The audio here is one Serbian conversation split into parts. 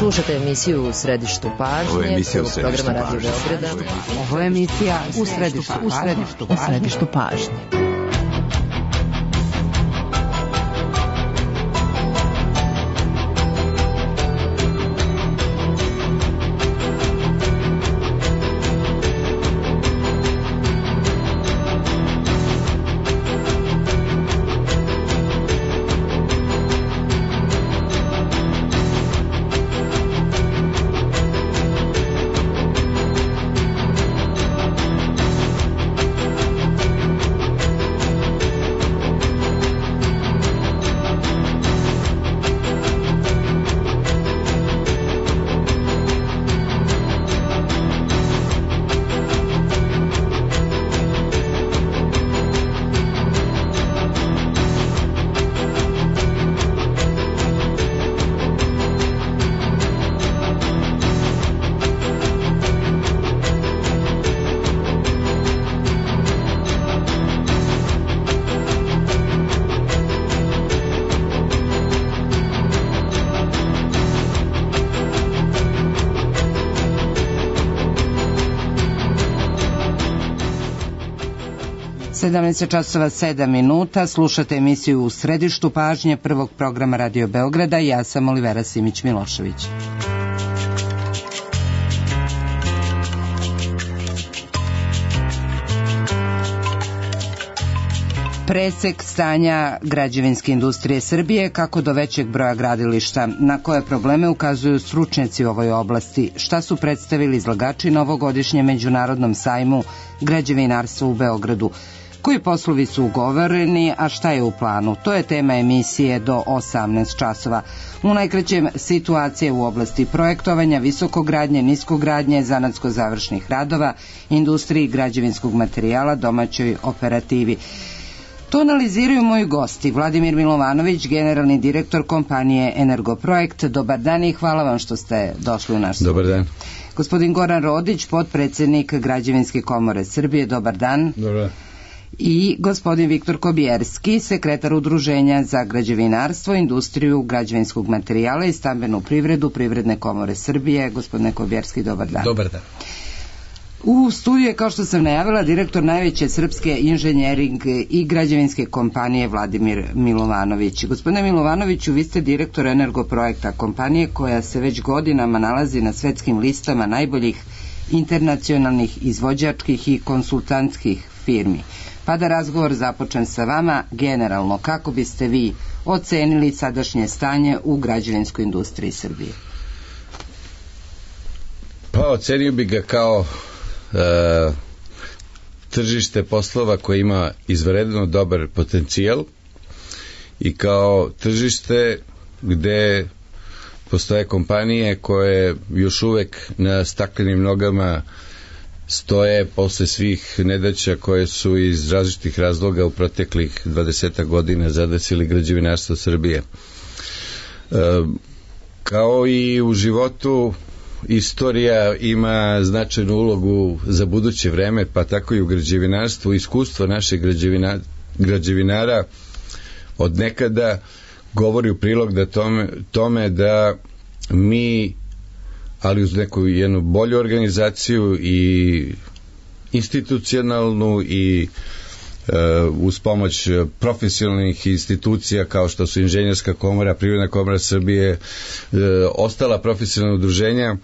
Slušate emisiju U središtu pažnje, programa Radio Beograda. Ovo je emisija U središtu pažnje. časova 7 minuta, slušate emisiju U središtu pažnje prvog programa Radio Beograda. Ja sam Olivera Simić-Milošević. Presek stanja građevinske industrije Srbije, kako do većeg broja gradilišta, na koje probleme ukazuju stručnjaci u ovoj oblasti, šta su predstavili izlagači na ovogodišnjem međunarodnom sajmu građevinarstva u Beogradu, koji poslovi su ugovoreni, a šta je u planu. To je tema emisije do 18 časova. U najkraćem, situacije u oblasti projektovanja, visokogradnje, niskogradnje, zanatsko-završnih radova, industriji građevinskog materijala, domaćoj operativi. To analiziraju moji gosti. Vladimir Milovanović, generalni direktor kompanije Energoprojekt. Dobar dan i hvala vam što ste došli u naš studij. Dobar dan. Gospodin Goran Rodić, potpredsednik Građevinske komore Srbije. Dobar dan. Dobar dan. I gospodin Viktor Kobjerski, sekretar Udruženja za građevinarstvo, industriju građevinskog materijala i stambenu privredu Privredne komore Srbije. Gospodine Kobjerski, dobar dan. Dobar dan. U studiju je, kao što sam najavila, direktor najveće srpske inženjering i građevinske kompanije Vladimir Milovanović. Gospodine Milovanoviću, vi ste direktor Energoprojekta, kompanije koja se već godinama nalazi na svetskim listama najboljih internacionalnih izvođačkih i konsultantskih firmi. Pa da razgovor započnem sa vama, generalno, kako biste vi ocenili sadašnje stanje u građevinskoj industriji Srbije? Pa ocenio bi ga kao tržište poslova koje ima izvanredno dobar potencijal i kao tržište gde postoje kompanije koje još uvek na staklenim nogama stoje posle svih nedaća koje su iz različitih razloga u proteklih 20 godina zadesili građevinarstvo Srbije. Kao i u životu, istorija ima značajnu ulogu za buduće vreme, pa tako i u građevinarstvu. Iskustvo naših građevinara od nekada govori u prilog da tome da mi, ali uz neku jednu bolju organizaciju i institucionalnu i uz pomoć profesionalnih institucija kao što su Inženjerska komora, Privredna komora Srbije, ostala profesionalna udruženja,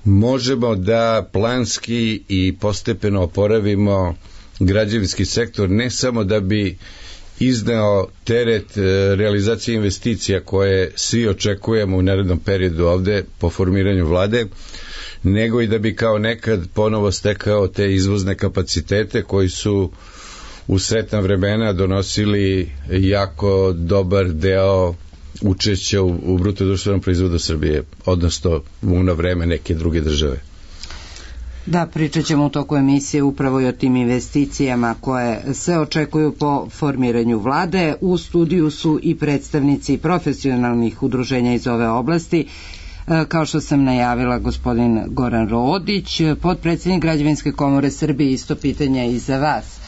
možemo da planski i postepeno oporavimo građevinski sektor, ne samo da bi izneo teret realizacije investicija koje svi očekujemo u narednom periodu ovde po formiranju vlade, nego i da bi kao nekad ponovo stekao te izvozne kapacitete koji su u sretna vremena donosili jako dobar deo učešća u bruto društvenom proizvodu Srbije, odnosno u ono vreme neke druge države. Da, pričat ćemo u toku emisije upravo i o tim investicijama koje se očekuju po formiranju vlade. U studiju su i predstavnici profesionalnih udruženja iz ove oblasti. Kao što sam najavila, gospodin Goran Rodić, potpredsednik Građevinske komore Srbije. Isto pitanje i za vas.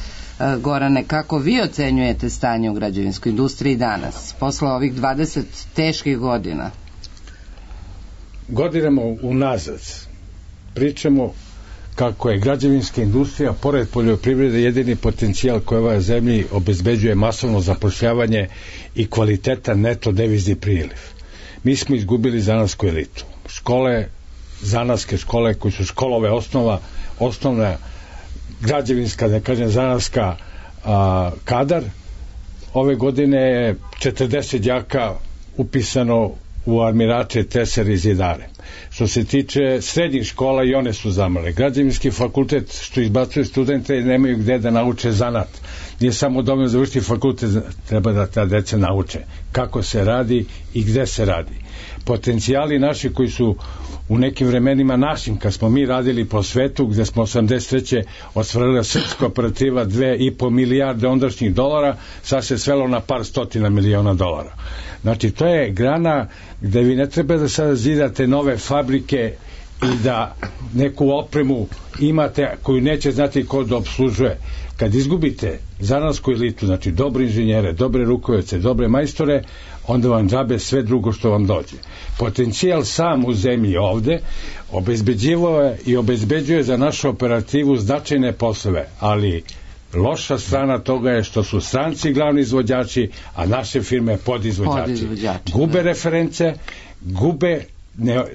Gorane, kako vi ocenjujete stanje u građevinskoj industriji danas, posle ovih 20 teških godina? godinama unazad pričamo kako je građevinska industrija pored poljoprivrede jedini potencijal koji ovoj zemlji obezbeđuje masovno zapošljavanje i kvalitetan neto devizni priliv. Mi smo izgubili zanatsku elitu. Škole, zanatske škole koji su školove osnovna građevinska, da kažem zanatska kadar, ove godine je 40 đaka upisano u armirače, tesare i zidare. Što se tiče srednjih škola, i one su zamrle. Građevinski fakultet što izbacuje studente nemaju gde da nauče zanat. Nije samo dovoljno završiti fakultet, treba da ta deca nauče kako se radi i gde se radi. Potencijali naši koji su u nekim vremenima našim, kad smo mi radili po svetu, gde smo 83. ostvarili srpska operativa 2,5 milijarde ondašnjih dolara, sad se svelo na par stotina miliona dolara. Znači, to je grana gde vi ne treba da sada zidate nove fabrike i da neku opremu imate koju neće znati ko da obslužuje. Kad izgubite zanatsku elitu, znači dobre inženjere, dobre rukovodioce, dobre majstore, onda vam džabe sve drugo što vam dođe. Potencijal sam u zemlji ovde obezbeđivao je i obezbeđuje za našu operativu značajne poslove, ali loša strana toga je što su stranci glavni izvođači, a naše firme podizvođači. Gube reference,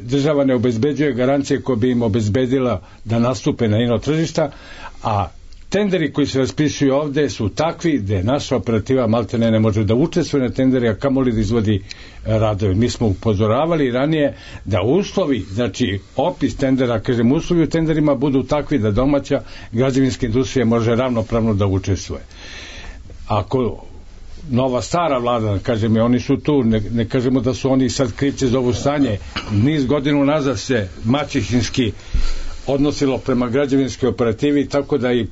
država ne obezbeđuje garancije koje bi im obezbedila da nastupe na ino tržišta, a tenderi koji se raspisuju ovde su takvi gde naša operativa maltene ne može da učestvuje na tenderi, a kamoli da izvodi radove. Mi smo upozoravali ranije da uslovi, znači opis tendera, kažem, uslovi u tenderima budu takvi da domaća građevinska industrija može ravnopravno da učestvuje. Ako nova stara vlada, kažem, oni su tu, ne kažemo da su oni sad krivci za ovo stanje, niz godina nazad se maćehinski odnosilo prema građevinskoj operativi, tako da i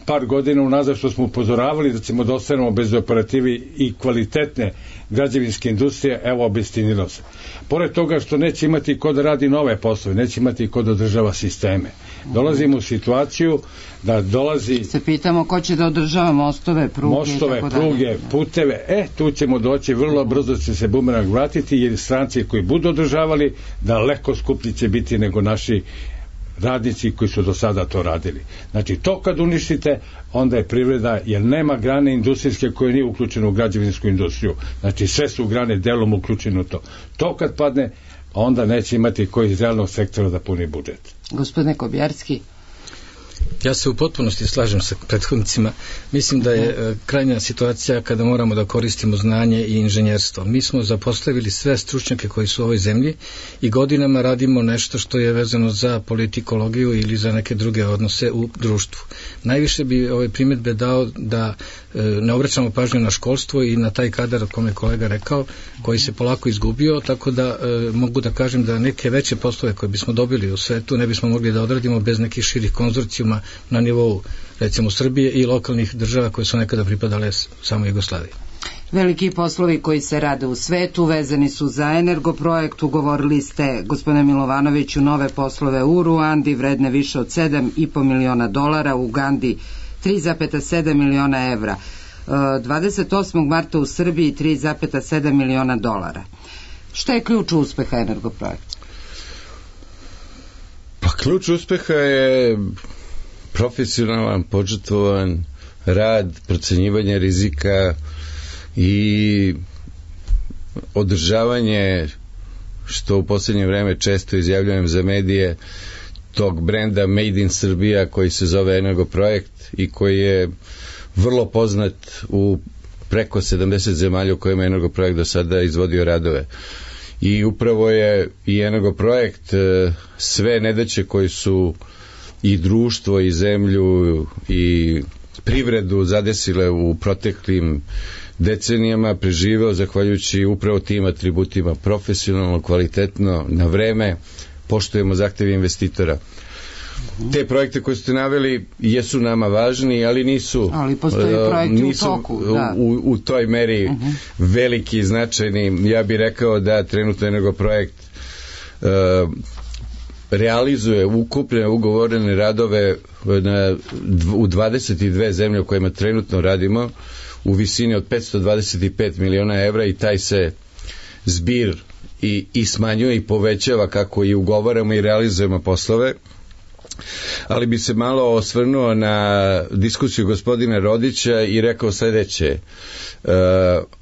par godina unazad što smo upozoravali da ćemo da ostanemo bez operativi i kvalitetne građevinske industrije, evo obistinilo se. Pored toga što neće imati ko da radi nove poslove, neće imati ko da održava sisteme. Dolazimo u situaciju da dolazi... Se pitamo ko će da održava mostove, pruge, puteve, tu ćemo doći, vrlo brzo će se bumerang vratiti, jer stranci koji budu održavali, daleko skuplji će biti nego naši radnici koji su do sada to radili. Znači, to kad uništite, onda je privreda, jer nema grane industrijske koje nije uključeno u građevinsku industriju. Znači, sve su grane delom uključeno u to. To kad padne, onda neće imati koji iz realnog sektora da puni budžet. Gospodine Kobjarski. Ja se u potpunosti slažem sa prethodnicima. Mislim da je krajnja situacija kada moramo da koristimo znanje i inženjerstvo. Mi smo zapostavili sve stručnjake koji su u ovoj zemlji i godinama radimo nešto što je vezano za politikologiju ili za neke druge odnose u društvu. Najviše bi ove primjedbe dao da ne obraćamo pažnju na školstvo i na taj kadar o kome je kolega rekao, koji se polako izgubio, tako da mogu da kažem da neke veće poslove koje bismo dobili u svetu ne bismo mogli da odradimo bez nekih širih konzorcijuma na nivou, recimo, Srbije i lokalnih država koje su nekada pripadale samo Jugoslaviji. Veliki poslovi koji se rade u svetu vezani su za Energoprojekt. Ugovorili ste, gospodine Milovanoviću, nove poslove u Ruandi vredne više od 7,5 miliona dolara, u Ugandi 3,7 miliona evra. 28. marta u Srbiji 3,7 miliona dolara. Šta je ključ uspeha Energoprojekta? Pa ključ uspeha je profesionalan, požrtvovan rad, procenjivanje rizika i održavanje, što u posljednje vreme često izjavljujem za medije, tog brenda Made in Srbija koji se zove Energoprojekt i koji je vrlo poznat u preko 70 zemalja u kojima je Energoprojekt do sada izvodio radove. I upravo je i Energoprojekt sve nedaće koji su i društvo i zemlju i privredu zadesile u proteklim decenijama preživeo zahvaljujući upravo tim atributima: profesionalno, kvalitetno, na vreme, poštujemo zahteve investitora. Te projekte koje ste naveli jesu nama važni, ali nisu, u toj meri veliki i značajni. Ja bih rekao da trenutno Energoprojekt realizuje ukupne ugovorene radove u 22 zemlje u kojima trenutno radimo u visini od 525 miliona evra i taj se zbir i smanjuje i povećava kako i ugovaramo i realizujemo poslove. Ali bi se malo osvrnuo na diskusiju gospodina Rodića i rekao sledeće.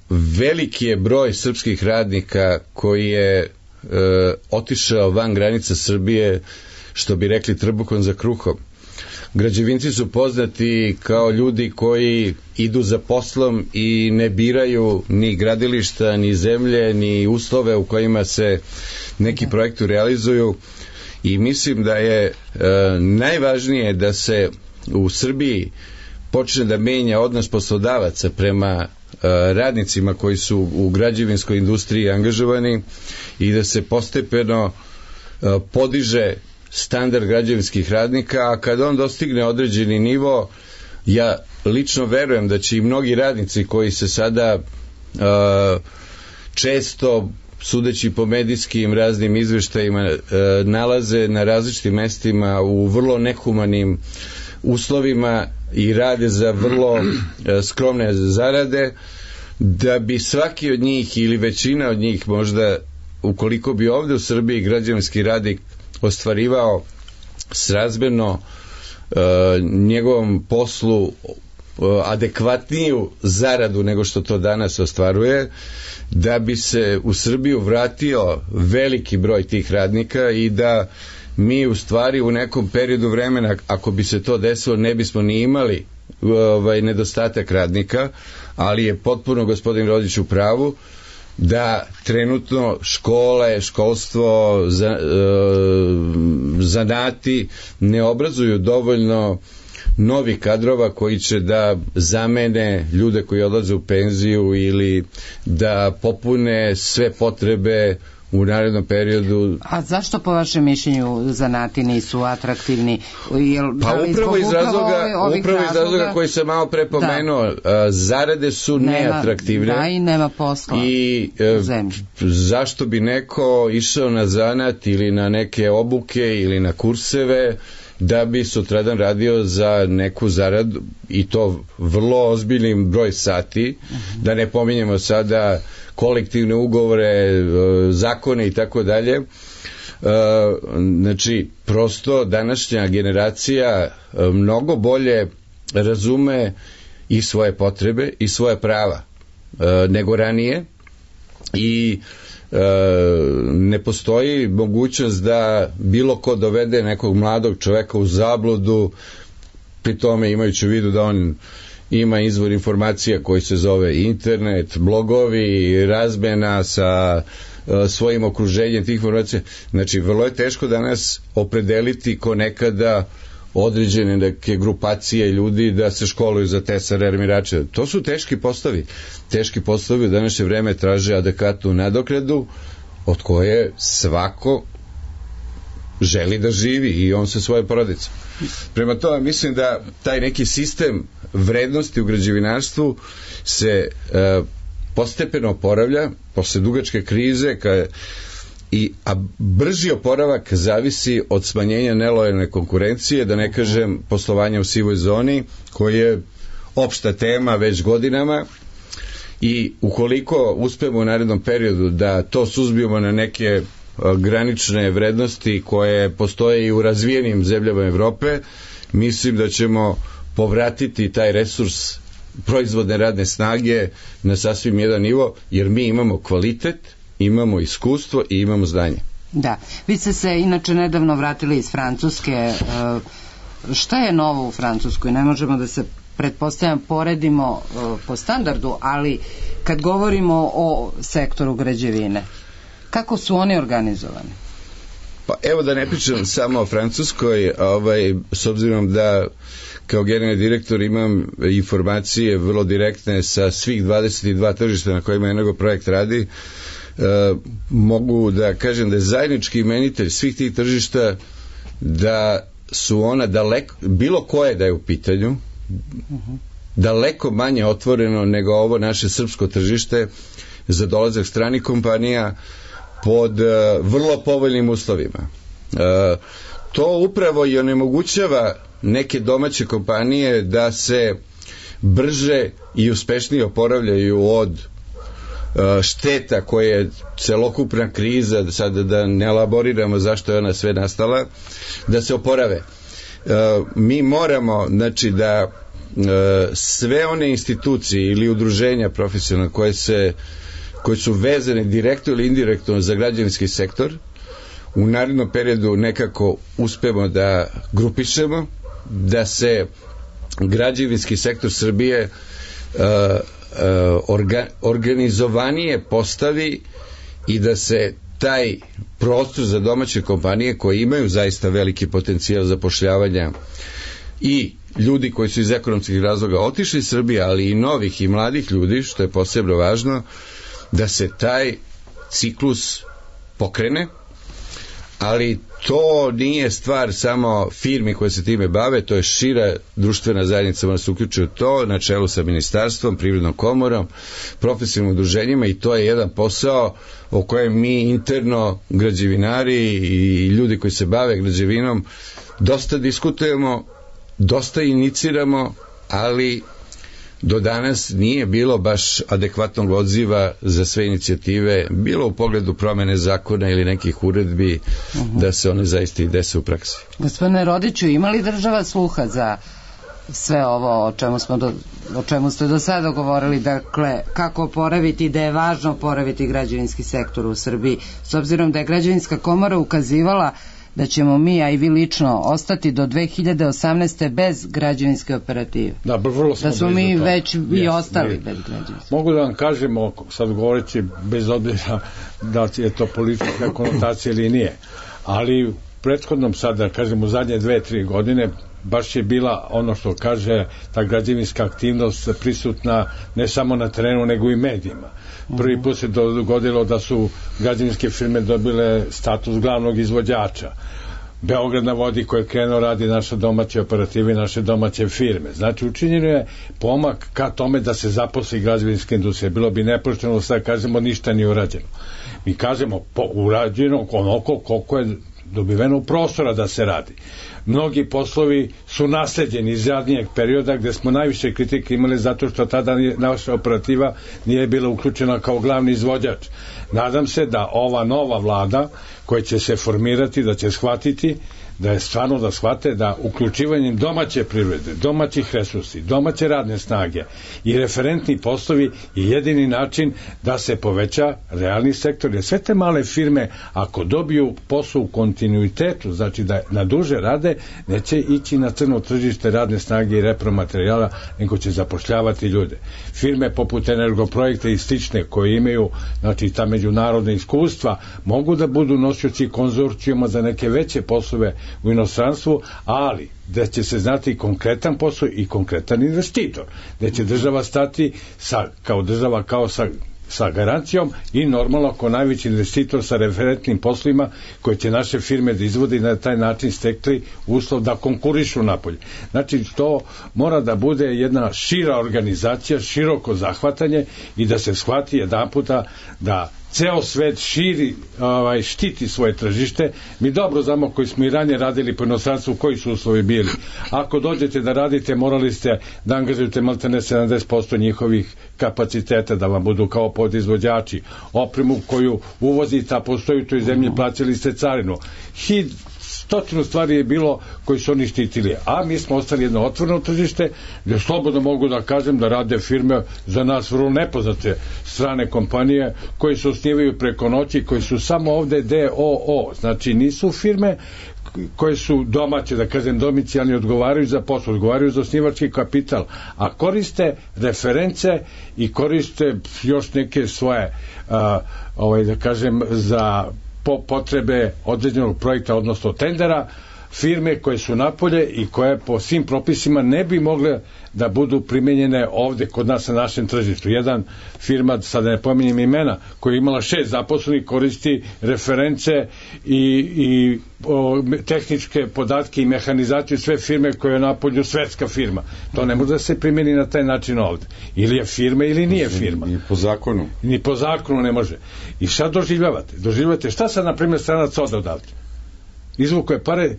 Veliki je broj srpskih radnika koji je otišao van granica Srbije, što bi rekli trbuhom za kruhom. Građevinci su poznati kao ljudi koji idu za poslom i ne biraju ni gradilišta, ni zemlje, ni uslove u kojima se neki projekti realizuju, i mislim da je najvažnije da se u Srbiji počne da menja odnos poslodavaca prema radnicima koji su u građevinskoj industriji angažovani i da se postepeno podiže standard građevinskih radnika, a kad on dostigne određeni nivo, ja lično verujem da će i mnogi radnici koji se sada često, sudeći po medijskim raznim izveštajima, nalaze na različitim mestima u vrlo nehumanim uslovima i rade za vrlo skromne zarade, da bi svaki od njih ili većina od njih možda, ukoliko bi ovde u Srbiji građevinski radnik ostvarivao srazmerno njegovom poslu adekvatniju zaradu nego što to danas ostvaruje, da bi se u Srbiju vratio veliki broj tih radnika i da mi u stvari u nekom periodu vremena, ako bi se to desilo, ne bismo ni imali nedostatak radnika, ali je potpuno gospodin Rodić u pravu da trenutno škole, školstvo, zanati ne obrazuju dovoljno novi kadrova koji će da zamene ljude koji odlaze u penziju ili da popune sve potrebe u narednom periodu. A zašto po vašem mišljenju zanati nisu atraktivni? Pa upravo iz razloga koji sam malo prepomenuo, zarade su neatraktivne. Da, i nema posla i zašto bi neko išao na zanat ili na neke obuke ili na kurseve da bi sutradan radio za neku zaradu, i to vrlo ozbiljnim broj sati, da ne pominjemo sada kolektivne ugovore, zakone i tako dalje. Znači, prosto današnja generacija mnogo bolje razume i svoje potrebe i svoje prava nego ranije, i ne postoji mogućnost da bilo ko dovede nekog mladog čoveka u zabludu, pri tome imajući u vidu da on ima izvor informacija koji se zove internet, blogovi, razmena sa svojim okruženjem tih informacija. Znači, vrlo je teško danas opredeliti ko nekada određene neke grupacije ljudi da se školuju za tesare, armirače. To su teški poslovi. Teški poslovi u današnje vreme traže adekvatnu nadoknadu od koje svako želi da živi, i on sa svoje porodice. Prema tome, mislim da taj neki sistem vrednosti u građevinarstvu se postepeno oporavlja posle dugačke krize, a brži oporavak zavisi od smanjenja nelojalne konkurencije, da ne kažem poslovanja u sivoj zoni, koji je opšta tema već godinama, i ukoliko uspemo u narednom periodu da to suzbijemo na neke granične vrednosti koje postoje i u razvijenim zemljama Evrope, mislim da ćemo povratiti taj resurs proizvodne radne snage na sasvim jedan nivo, jer mi imamo kvalitet, imamo iskustvo i imamo znanje. Da, vi ste se inače nedavno vratili iz Francuske. Šta je novo u Francuskoj? Ne možemo da se, pretpostavljam, poredimo po standardu, ali kad govorimo o sektoru građevine, kako su oni organizovani? Pa evo, da ne pričam samo o Francuskoj, s obzirom da kao generalni direktor imam informacije vrlo direktne sa svih 22 tržišta na kojima Energoprojekt radi, mogu da kažem da je zajednički imenitelj svih tih tržišta da su ona daleko, bilo koje da je u pitanju, daleko manje otvoreno nego ovo naše srpsko tržište za dolazak stranih kompanija pod vrlo povoljnim uslovima. To upravo i onemogućava neke domaće kompanije da se brže i uspešnije oporavljaju od šteta koja je celokupna kriza, sad da ne elaboriramo zašto je ona sve nastala, da se oporave. Mi moramo, znači, da sve one institucije ili udruženja profesionalne koje su vezane direktno ili indirektno za građevinski sektor u narednom periodu nekako uspemo da grupišemo, da se građevinski sektor Srbije organizovanije postavi i da se taj prostor za domaće kompanije koje imaju zaista veliki potencijal zapošljavanja i ljudi koji su iz ekonomskih razloga otišli iz Srbije, ali i novih i mladih ljudi, što je posebno važno, da se taj ciklus pokrene, ali to nije stvar samo firmi koje se time bave, to je šira društvena zajednica, mora se uključiti u to, na čelu sa ministarstvom, privrednom komorom, profesionalnim udruženjima, i to je jedan posao o kojem mi interno, građevinari i ljudi koji se bave građevinom, dosta diskutujemo, dosta iniciramo, ali do danas nije bilo baš adekvatnog odziva za sve inicijative, bilo u pogledu promene zakona ili nekih uredbi, da se one zaista i dese u praksi. Gospodine Rodiću, ima li država sluha za sve ovo o čemu ste do sada govorili, dakle, kako oporaviti, da je važno oporaviti građevinski sektor u Srbiji, s obzirom da je Građevinska komora ukazivala da ćemo mi, a i vi lično, ostati do 2018. bez građevinske operative. Da smo mi već i ostali bez građevinske. Mogu da vam kažem, sad govoreći bez obzira da je to politička konotacija ili nije, ali u prethodnom sada, kažem, u zadnje 2-3 godine baš je bila, ono što kaže, ta građevinska aktivnost prisutna ne samo na terenu, nego i medijima. Prvi put se dogodilo da su građevinske firme dobile status glavnog izvođača. Beograd na vodi koje je krenuo radi naše domaće operative i naše domaće firme. Znači, učinjeno je pomak ka tome da se zaposli građevinska industrija. Bilo bi nepošteno sad kažemo ništa nije urađeno. Mi kažemo urađeno onoliko koliko je dobiveno prostora da se radi. Mnogi poslovi su nasleđeni iz zadnjeg perioda gde smo najviše kritike imali zato što tada naša operativa nije bila uključena kao glavni izvođač. Nadam se da ova nova vlada koja će se formirati, da će shvatiti da je stvarno da shvate da uključivanjem domaće privrede, domaćih resursi, domaće radne snage i referentni poslovi je jedini način da se poveća realni sektor. Jer sve te male firme, ako dobiju posao u kontinuitetu, znači da na duže rade, neće ići na crno tržište radne snage i repromaterijala, nego će zapošljavati ljude. Firme poput Energoprojekta i slične koje imaju, znači ta međunarodna iskustva, mogu da budu nosioci konzorcijuma za neke veće poslove u inostranstvu, ali da će se znati konkretan posao i konkretan investitor, da će država stati kao država, kao sa garancijom i normalno kao najveći investitor sa referentnim poslovima koje će naše firme da izvode i na taj način stekli uslov da konkurišu napolje. Znači, to mora da bude jedna šira organizacija, široko zahvatanje i da se shvati jedanputa da ceo svet štiti svoje tržište. Mi dobro znamo koji smo i ranije radili po inostranstvu, koji su uslovi bili. Ako dođete da radite, morali ste da angažujete maltene 70% njihovih kapaciteta da vam budu kao podizvođači. Opremu koju uvozite, a postoji u toj zemlji, plaćali ste carinu. Stotinu stvari je bilo koji su oni štitili, a mi smo ostali jedno otvoreno tržište gdje slobodno mogu da kažem da rade firme za nas vrlo nepoznate strane kompanije koji se osnivaju preko noći, koji su samo ovde DOO, znači nisu firme koje su domaće, da kažem domicijalni, odgovaraju za posao, odgovaraju za osnivački kapital, a koriste reference i koriste još neke svoje da kažem za potrebe određenog projekta, odnosno tendera, firme koje su napolje i koje po svim propisima ne bi mogle da budu primenjene ovde kod nas na našem tržištu. Jedan firma, sada ne pominjem imena, koja je imala 6 zaposlenih, koristi reference i tehničke podatke i mehanizaciju sve firme koje je napolju svetska firma. To ne može da se primeni na taj način ovde. Ili je firma ili nije firma. Ni po zakonu. Ni po zakonu ne može. I šta doživljavate? Doživljavate šta sad, na primjer, stranac ode odavde? Izvuko je pare,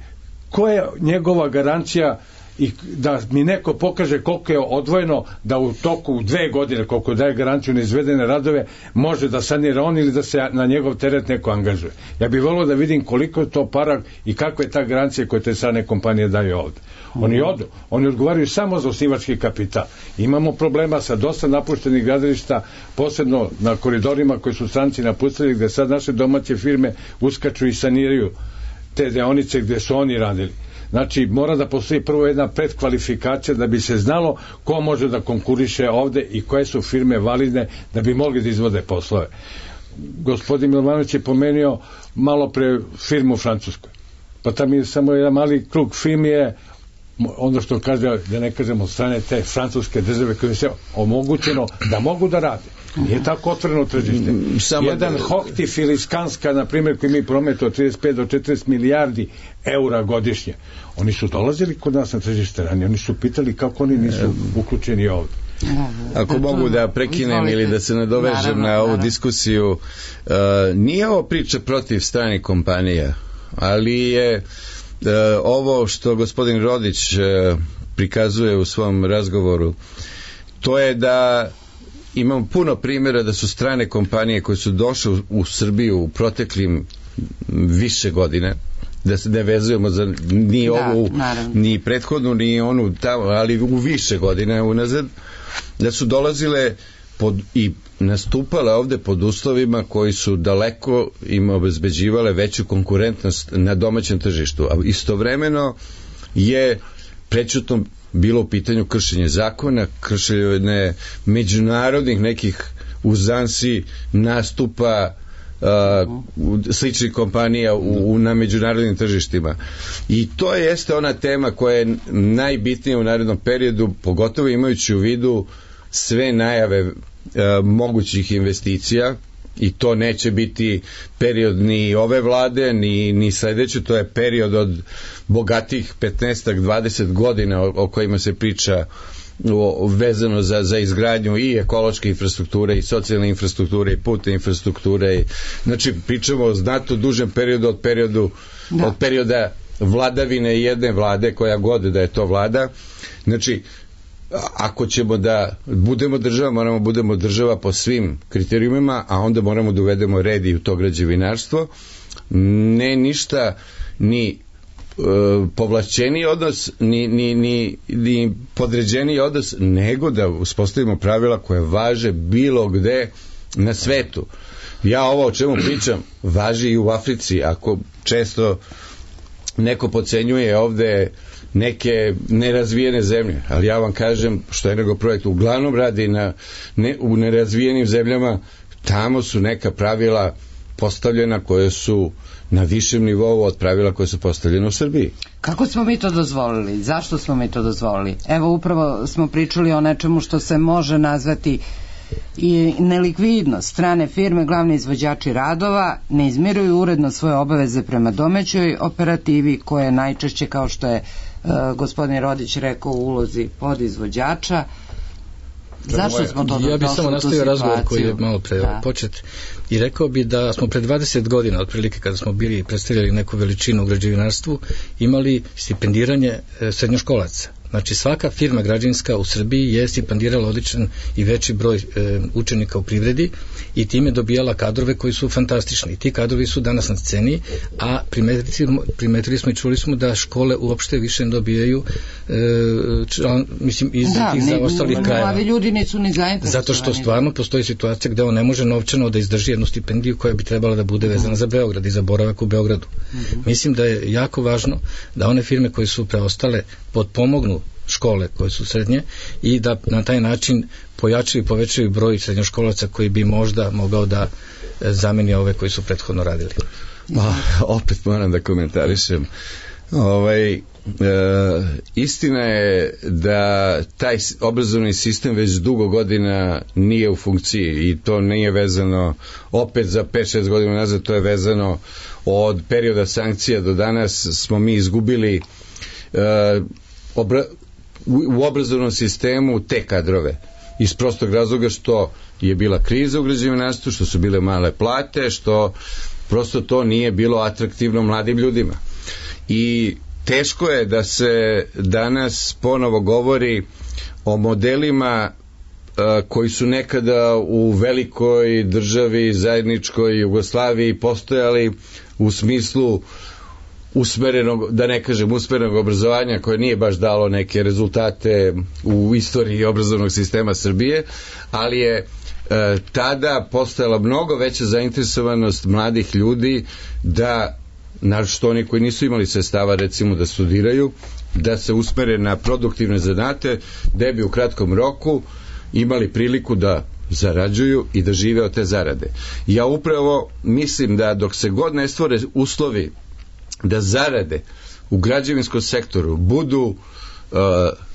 koja je njegova garancija i da mi neko pokaže koliko je odvojeno da u toku 2 godine, koliko daje garanciju na izvedene radove, može da sanira on ili da se na njegov teret neko angažuje. Ja bih volio da vidim koliko je to para i kakva je ta garancija koje te strane kompanije daju ovde. Oni odgovaraju samo za osnivački kapital. Imamo problema sa dosta napuštenih gradilišta, posebno na koridorima koji su stranci napustili, gde sad naše domaće firme uskaču i saniraju te deonice gde su oni radili. Znači, mora da postoji prvo jedna predkvalifikacija da bi se znalo ko može da konkuriše ovde i koje su firme validne da bi mogli da izvode poslove. Gospodin Milovanović je pomenuo malo pre firmu u Francuskoj. Pa tam je samo jedan mali krug firmi je ono što kaže, da ne kažemo od strane te francuske države koje se omogućeno da mogu da rade. Nije tako otvoreno tržište. Jedan Hochtief ili Skanska, na primjer, koji mi prometu od 35 do 40 milijardi eura godišnje. Oni su dolazili kod nas na tržište ranije. Oni su pitali kako oni nisu uključeni ovdje. Ako mogu da prekinem ili da se nadovežem na ovu diskusiju, nije ovo priča protiv stranih kompanija, ali je ovo što gospodin Rodić prikazuje u svom razgovoru, to je da imamo puno primjera da su strane kompanije koje su došle u Srbiju u proteklim više godine, da se ne vezujemo za ni ovu, ni prethodnu, ni onu tamo, ali u više godine unazad, da su dolazile i nastupale ovde pod uslovima koji su daleko im obezbeđivale veću konkurentnost na domaćem tržištu, a istovremeno je prećutno bilo u pitanju kršenje zakona, kršenje međunarodnih nekih uzansi nastupa sličnih kompanija na međunarodnim tržištima. I to jeste ona tema koja je najbitnija u narednom periodu, pogotovo imajući u vidu sve najave mogućih investicija, i to neće biti period ni ove vlade ni sledeće, to je period od bogatih 15-20 godina o kojima se priča vezano za izgradnju i ekološke infrastrukture i socijalne infrastrukture i putne infrastrukture. Znači pričamo o znatno dužem periodu od perioda vladavine jedne vlade, koja god da je to vlada. Znači ako ćemo da budemo država, moramo budemo država po svim kriterijumima, a onda moramo da uvedemo red i u to građevinarstvo. Ne ništa ni povlašćeniji odnos ni podređeniji odnos, nego da uspostavimo pravila koje važe bilo gde na svetu. Ja ovo o čemu pričam važi i u Africi. Ako često neko podcenjuje ovde neke nerazvijene zemlje, ali ja vam kažem što Energoprojekt uglavnom radi u nerazvijenim zemljama, tamo su neka pravila postavljena koje su na višem nivou od pravila koje su postavljene u Srbiji. Kako smo mi to dozvolili? Zašto smo mi to dozvolili? Evo, upravo smo pričali o nečemu što se može nazvati i nelikvidnost. Strane firme, glavni izvođači radova, ne izmiruju uredno svoje obaveze prema domaćoj operativi, koje najčešće, kao što je gospodin Rodić rekao, u ulozi podizvođača. Zašto smo to došli u tu situaciju? Ja bih samo nastavio razgovor koji je malo pre počet i rekao bi da smo pred 20 godina, otprilike kada smo bili predstavljali neku veličinu u građevinarstvu, imali stipendiranje srednjoškolaca. Znači svaka firma građevinska u Srbiji je stipendirala odličan i veći broj učenika u privredi i time dobijala kadrove koji su fantastični. Ti kadrovi su danas na sceni, a primetili smo i čuli smo da škole uopšte više ne dobijaju mislim iz tih ostalih krajeva. Da, ljudi nisu ni zainteresovani. Zato što stvarno postoji situacija gde on ne može novčano da izdrži jednu stipendiju koja bi trebala da bude vezana za Beograd i za boravak u Beogradu. Mislim da je jako važno da one firme koje su preostale potpomognu škole koje su srednje i da na taj način pojačaju i povećaju broj srednjoškolaca koji bi možda mogao da zameni ove koji su prethodno radili. Opet moram da komentarišem. Istina je da taj obrazovni sistem već dugo godina nije u funkciji i to nije vezano opet za 5-6 godina nazad, to je vezano od perioda sankcija do danas smo mi izgubili u obrazovnom sistemu te kadrove iz prostog razloga što je bila kriza u građevinarstvu, što su bile male plate, što prosto to nije bilo atraktivno mladim ljudima. I teško je da se danas ponovo govori o modelima koji su nekada u velikoj državi, zajedničkoj Jugoslaviji postojali u smislu usmerenog, da ne kažem usmerenog obrazovanja, koje nije baš dalo neke rezultate u istoriji obrazovnog sistema Srbije, ali je tada postojala mnogo veća zainteresovanost mladih ljudi da, naročito oni koji nisu imali sredstava recimo da studiraju, da se usmere na produktivne zanate, da bi u kratkom roku imali priliku da zarađuju i da žive od te zarade. Ja upravo mislim da dok se god ne stvore uslovi da zarade u građevinskom sektoru budu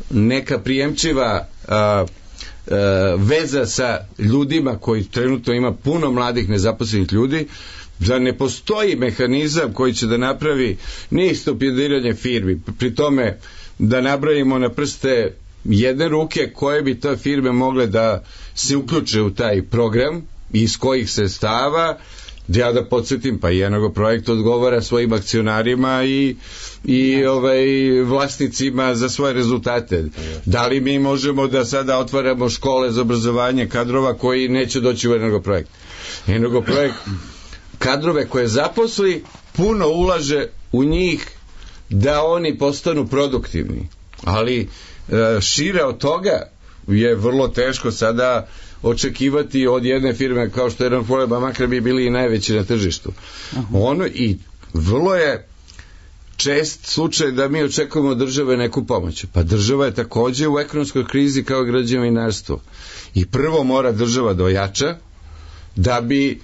neka prijemčiva veza sa ljudima koji trenutno ima puno mladih nezaposlenih ljudi, da ne postoji mehanizam koji će da napravi stipendiranje firmi, pri tome da nabrajimo na prste jedne ruke koje bi te firme mogle da se uključe u taj program i iz kojih sredstava. Ja da podsjetim, pa i Energoprojekt odgovara svojim akcionarima i vlasnicima za svoje rezultate. Da li mi možemo da sada otvaramo škole za obrazovanje kadrova koji neće doći u Energoprojekt? Energoprojekt kadrove koje zaposli puno ulaže u njih da oni postanu produktivni, ali šire od toga je vrlo teško sada očekivati od jedne firme kao što je Energoprojekt, makar bi bili i najveći na tržištu. Ono, i vrlo je čest slučaj da mi očekujemo od države neku pomoć. Pa država je takođe u ekonomskoj krizi kao građevinarstvo. I prvo mora država da ojača da bi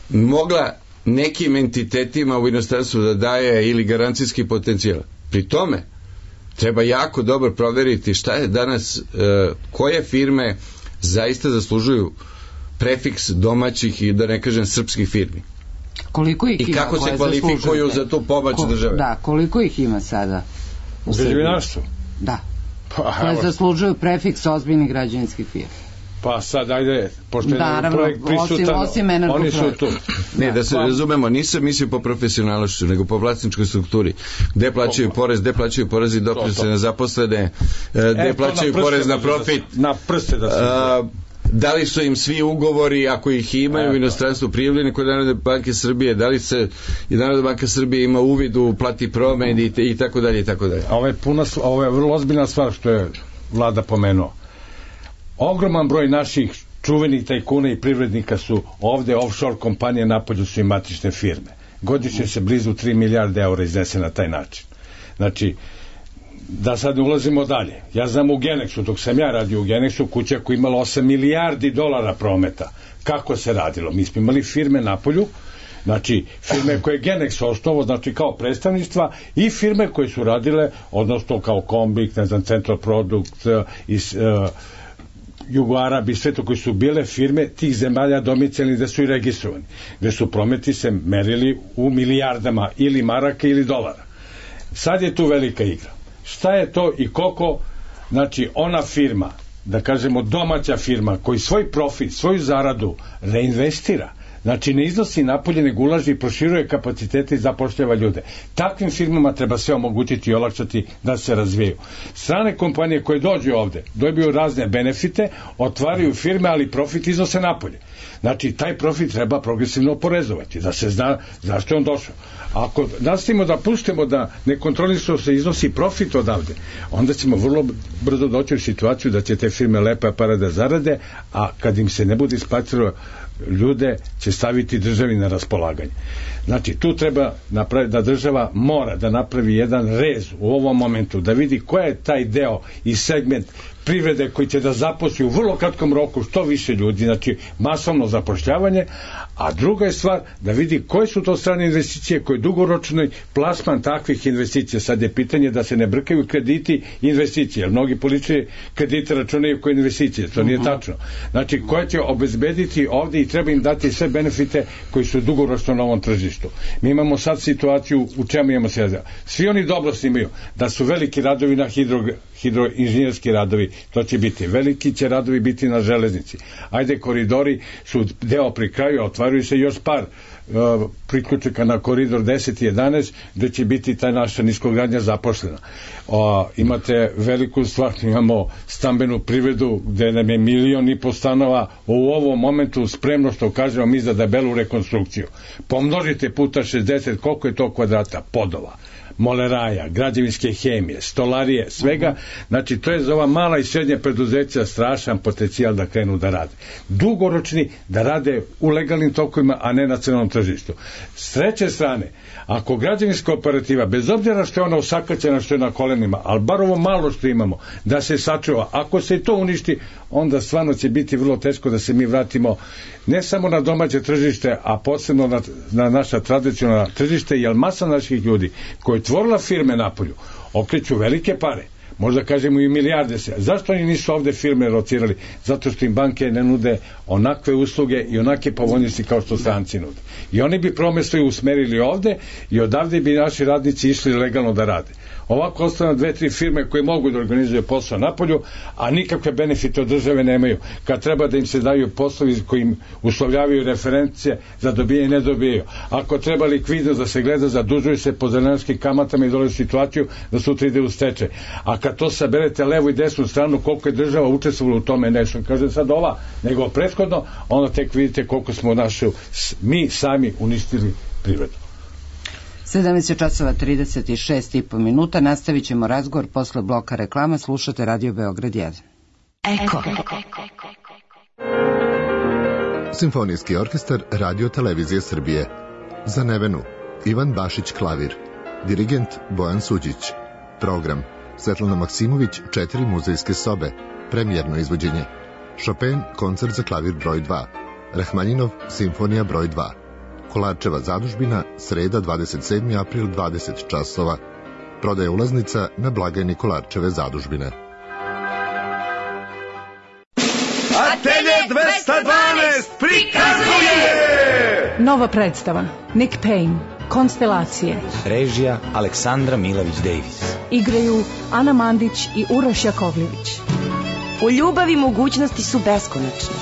mogla nekim entitetima u inostranstvu da daje ili garancijski potencijal. Pri tome treba jako dobro proveriti šta je danas, koje firme zaista zaslužuju prefiks domaćih i da ne kažem srpskih firmi. Koliko ih i ima, kako se kvalifikuju za tu pomoć države? Da, koliko ih ima sada u građevinarstvu? Da. Koje zaslužuju prefiks ozbiljnih građevinskih firmi. Pa sad, ajde, pošto je projekt prisutan, oni su tu. Ne, da se razumemo, nisam mislio po profesionalnošću, nego po vlasničkoj strukturi. Gde plaćaju porez, gde plaćaju porez i doprinose na zaposlene, gde plaćaju porez na profit. Na prste da se... Da li su im svi ugovori, ako ih imaju u inostranstvu, prijavljeni kod Narodne banke Srbije, da li se i Narodna banka Srbije ima uvid u plati promen i tako dalje i tako dalje. Ovo je vrlo ozbiljna stvar što je vlada pomenuo. Ogroman broj naših čuvenih tajkuna i privrednika su ovde, offshore kompanije, napolju su i matične firme. Godišnje se blizu 3 milijarde eura iznese na taj način. Znači, da sad ne ulazimo dalje. Ja znam u Genexu, dok sam ja radio u Genexu, kuća koja imala 8 milijardi dolara prometa. Kako se radilo? Mi smo imali firme napolju, znači firme koje je Genex osnovao, znači kao predstavništva, i firme koje su radile, odnosno kao Kombik, ne znam, Central Product, Jugoarabi, sve to koji su bile firme tih zemalja domicilni gde su i registrovani, gde su prometi se merili u milijardama ili maraka ili dolara. Sad je tu velika igra. Šta je to i koliko, znači ona firma, da kažemo domaća firma, koji svoj profit, svoju zaradu reinvestira, znači ne iznosi napolje, nego ulaži i proširuje kapacitete i zapošljava ljude. Takvim firmama treba sve omogućiti i olakšati da se razvijaju. Strane kompanije koje dođu ovde, dobiju razne benefite, otvaraju firme, ali profit iznose napolje. Znači, taj profit treba progresivno oporezovati, da se zna zašto je on došao. Ako nastavimo da pustimo da nekontrolisano se iznosi profit odavde, onda ćemo vrlo brzo doći u situaciju da će te firme lepe pare da zarade, a kad im se ne bude isplatilo, ljude će staviti državi na raspolaganje. Znači, tu treba napraviti da država mora da napravi jedan rez u ovom momentu, da vidi ko je taj deo i segment privrede koji će da zaposli u vrlo kratkom roku što više ljudi, znači masovno zapošljavanje, a druga je stvar da vidi koje su to strane investicije, koji dugoročni plasman takvih investicija. Sad je pitanje da se ne brkaju krediti i investicije, jer mnogi politički kredite računaju kao investicije, to nije tačno. Znači, koje će obezbediti ovde i treba im dati sve benefite koji su dugoročno na ovom tržištu. Mi imamo sad situaciju u čemu imamo se. Svi oni dobro snimaju da su veliki radovi na hidroinženjerski radovi, to će biti. Veliki će radovi biti na železnici. Ajde, koridori su deo pri kraju, otvaruju se još par priključaka na koridor 10 i 11, gde će biti ta naša niskogradnja zaposlena. Imate veliku stvar, imamo stambenu privredu gde nam je 1,5 miliona stanova u ovom momentu spremno, što kažemo mi, za debelu rekonstrukciju. Pomnožite puta 60, koliko je to kvadrata podova, moleraja, građevinske hemije, stolarije, svega. Znači, to je za ova mala i srednja preduzeća strašan potencijal da krenu da rade. Dugoročni, da rade u legalnim tokovima, a ne na crnom tržištu. S treće strane, ako građevinska operativa, bez obzira što je ona usakaćena, što je na kolenima, ali bar ovo malo što imamo, da se sačuva, ako se to uništi, onda stvarno će biti vrlo teško da se mi vratimo ne samo na domaće tržište, a posebno na naša tradicionalna tržište, jer masa naših ljudi koji tvorila firme napolju okreću velike pare, možda kažemo i milijarde se. Zašto oni nisu ovde firme locirali? Zato što im banke ne nude onakve usluge i onake povoljnosti kao što stranci nude. I oni bi promesto i usmerili ovde i odavde bi naši radnici išli legalno da rade. Ovako ostane 2-3 firme koje mogu da organizuju posao napolju, a nikakve benefite od države nemaju. Kad treba da im se daju poslovi koji im uslovljavaju referencije za dobijanje i ne dobijaju. Ako treba likvidnost da se gleda, zadužuju se po zelenarskim kamatama i dole u situaciju da sutra ide u stečaj. A kad to saberete levu i desnu stranu, koliko je država učestvovala u tome, nešto kaže sad ova, nego prethodno, onda tek vidite koliko smo mi sami uništili privredu. 17:36 minuta, nastavit ćemo razgovor posle bloka reklama. Slušate Radio Beograd 1. Eko. Simfonijski orkestar Radio Televizije Srbije. Za Nevenu Ivan Bašić klavir, dirigent Bojan Suđić. Program Svetlana Maksimović 4 muzejske sobe, premijerno izvođenje. Chopin koncert za klavir broj 2, Rahmaninov simfonija broj 2. Kolarčeva zadužbina, sreda 27. april 20 časova. Prodaja ulaznica na blagajni Kolarčeve zadužbine. Atelje 212 prikazuje nova predstava Nick Payne, Konstelacije. Režija Aleksandra Milović-Davis. Igraju Ana Mandić i Uroš Jakovljević. U ljubavi mogućnosti su beskonačne.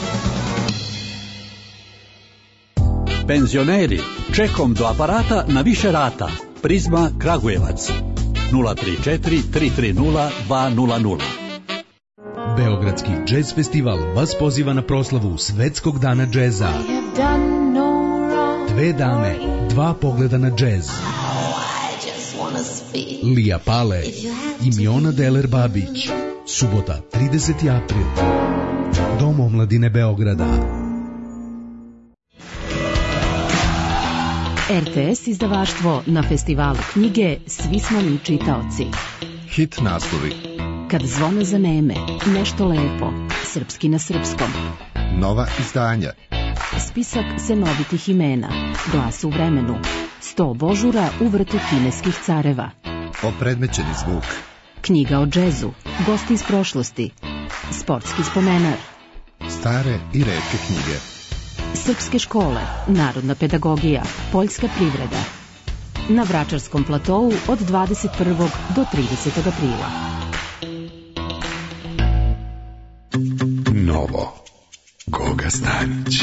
Penzioneri, čekom do aparata na više rata. Prizma Kragujevac 034 330 200. Beogradski džez festival vas poziva na proslavu Svetskog dana džeza. 2 dame, 2 pogleda na džez. Lija Pale i Miona Deler Babić. Subota 30. april. Dom omladine Beograda. RTS izdavaštvo na festivalu knjige Svi smo mi čitaoci. Hit naslovi. Kad zvone zaneme, nešto lepo, srpski na srpskom. Nova izdanja. Spisak senovitih imena, Glas u vremenu, 100 božura u vrtu kineskih careva. Opredmećeni zvuk. Knjiga o džezu, gosti iz prošlosti, sportski spomenar. Stare i retke knjige. Srpske škole, narodna pedagogija, poljska privreda. Na Vračarskom platovu od 21. do 30. aprila. Novo. Goga Stanić.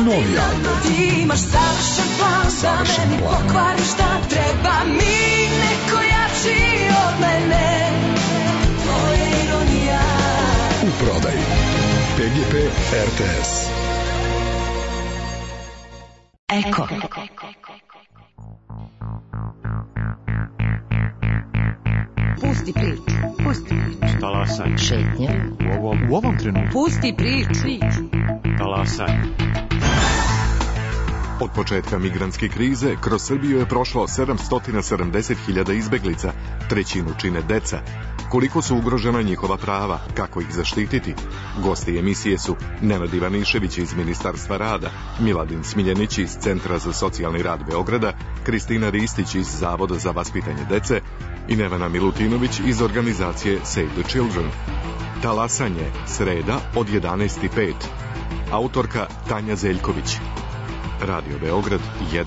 Novi album. Imaš savršen plan, savršen da plan. meni pokvari šta treba mi, neko jači od mene. To je ironija. U prodaji PGP RTS. Eko. Pusti priču, pusti priču. Talasaj. Šetnja. U ovom trenutku. Pusti priču. Talasaj. Od početka migrantske krize kroz Srbiju je prošlo 770.000 izbeglica, trećinu čine deca. Koliko su ugrožena njihova prava, kako ih zaštititi? Gosti emisije su Nenad Ivanišević iz Ministarstva rada, Miladin Smiljanić iz Centra za socijalni rad Beograda, Kristina Ristić iz Zavoda za vaspitanje dece i Nevena Milutinović iz organizacije Save the Children. Talasanje, sreda od 11:05. Autorka Tanja Zeljković. Radio Beograd 1.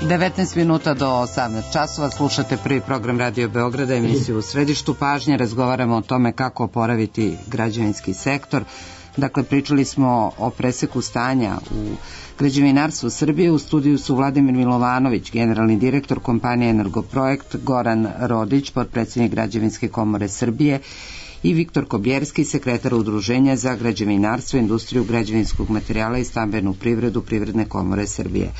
19 minuta do 18 časova, slušate prvi program Radio Beograda, emisiju U središtu pažnje, razgovaramo o tome kako oporaviti građevinski sektor. Dakle, pričali smo o preseku stanja u građevinarstvu Srbije. U studiju su Vladimir Milovanović, generalni direktor kompanije Energoprojekt, Goran Rodić, potpredsjednik Građevinske komore Srbije i Viktor Kobjerski, sekretar Udruženja za građevinarstvo, industriju građevinskog materijala i stambenu privredu Privredne komore Srbije.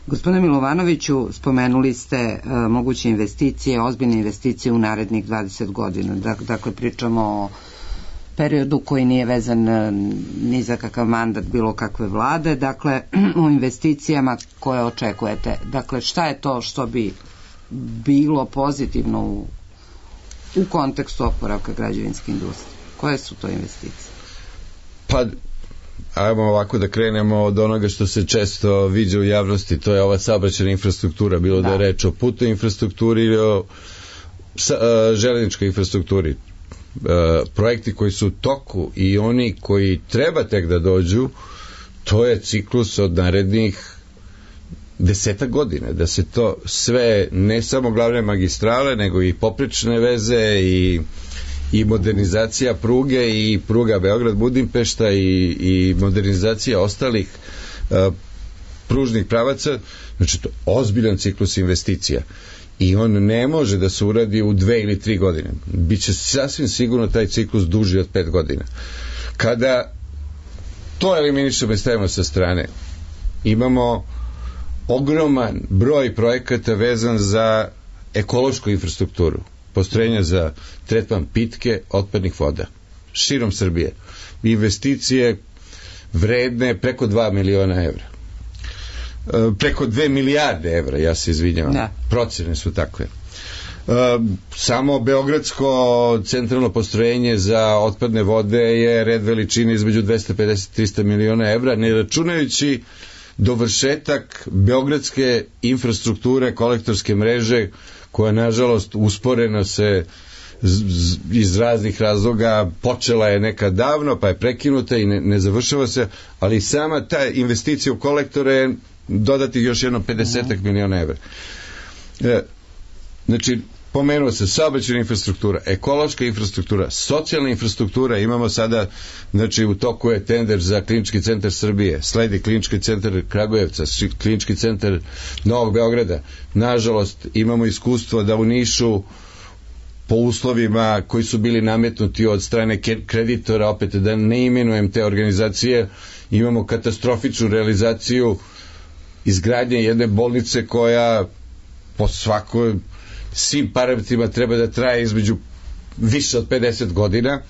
Gospodine Milovanoviću, spomenuli ste moguće investicije, ozbiljne investicije u narednih 20 godina. Dakle, pričamo o periodu koji nije vezan ni za kakav mandat bilo kakve vlade, dakle, o investicijama koje očekujete. Dakle, šta je to što bi bilo pozitivno u kontekstu oporavka građevinske industrije? Koje su to investicije? Pa, ajmo ovako da krenemo od onoga što se često viđa u javnosti, to je ova saobraćajna infrastruktura, bilo da je reč o putnoj infrastrukturi ili o železničkoj infrastrukturi. Projekti koji su u toku i oni koji treba tek da dođu, to je ciklus od narednih 10 godina, da se to sve, ne samo glavne magistrale, nego i poprečne veze i modernizacija pruge i pruga Beograd-Budimpešta i modernizacija ostalih pružnih pravaca, znači to je ozbiljan ciklus investicija i on ne može da se uradi u 2 ili 3 godine. Biće sasvim sigurno taj ciklus duži od 5 godina. Kada to eliminišemo i stavimo sa strane, imamo ogroman broj projekata vezan za ekološku infrastrukturu, postrojenja za tretman pitke otpadnih voda širom Srbije, investicije vredne preko 2 miliona evra, preko 2 milijarde evra, ja se izvinjavam, procene su takve. Samo beogradsko centralno postrojenje za otpadne vode je red veličine između 250-300 miliona evra, ne računajući dovršetak beogradske infrastrukture, kolektorske mreže, koja nažalost usporeno se iz raznih razloga, počela je nekad davno pa je prekinuta i ne završava se, ali sama ta investicija u kolektore je dodati još jedno 50 miliona evra. Znači, pomenuo se saobraćajna infrastruktura, ekološka infrastruktura, socijalna infrastruktura, imamo sada, znači u toku je tender za Klinički centar Srbije, sledi Klinički centar Kragujevca, Klinički centar Novog Beograda. Nažalost, imamo iskustvo da u Nišu po uslovima koji su bili nametnuti od strane kreditora, opet da ne imenujem te organizacije, imamo katastrofičnu realizaciju izgradnje jedne bolnice koja po svakoj svim parametrima treba da traje između više od 50 godina.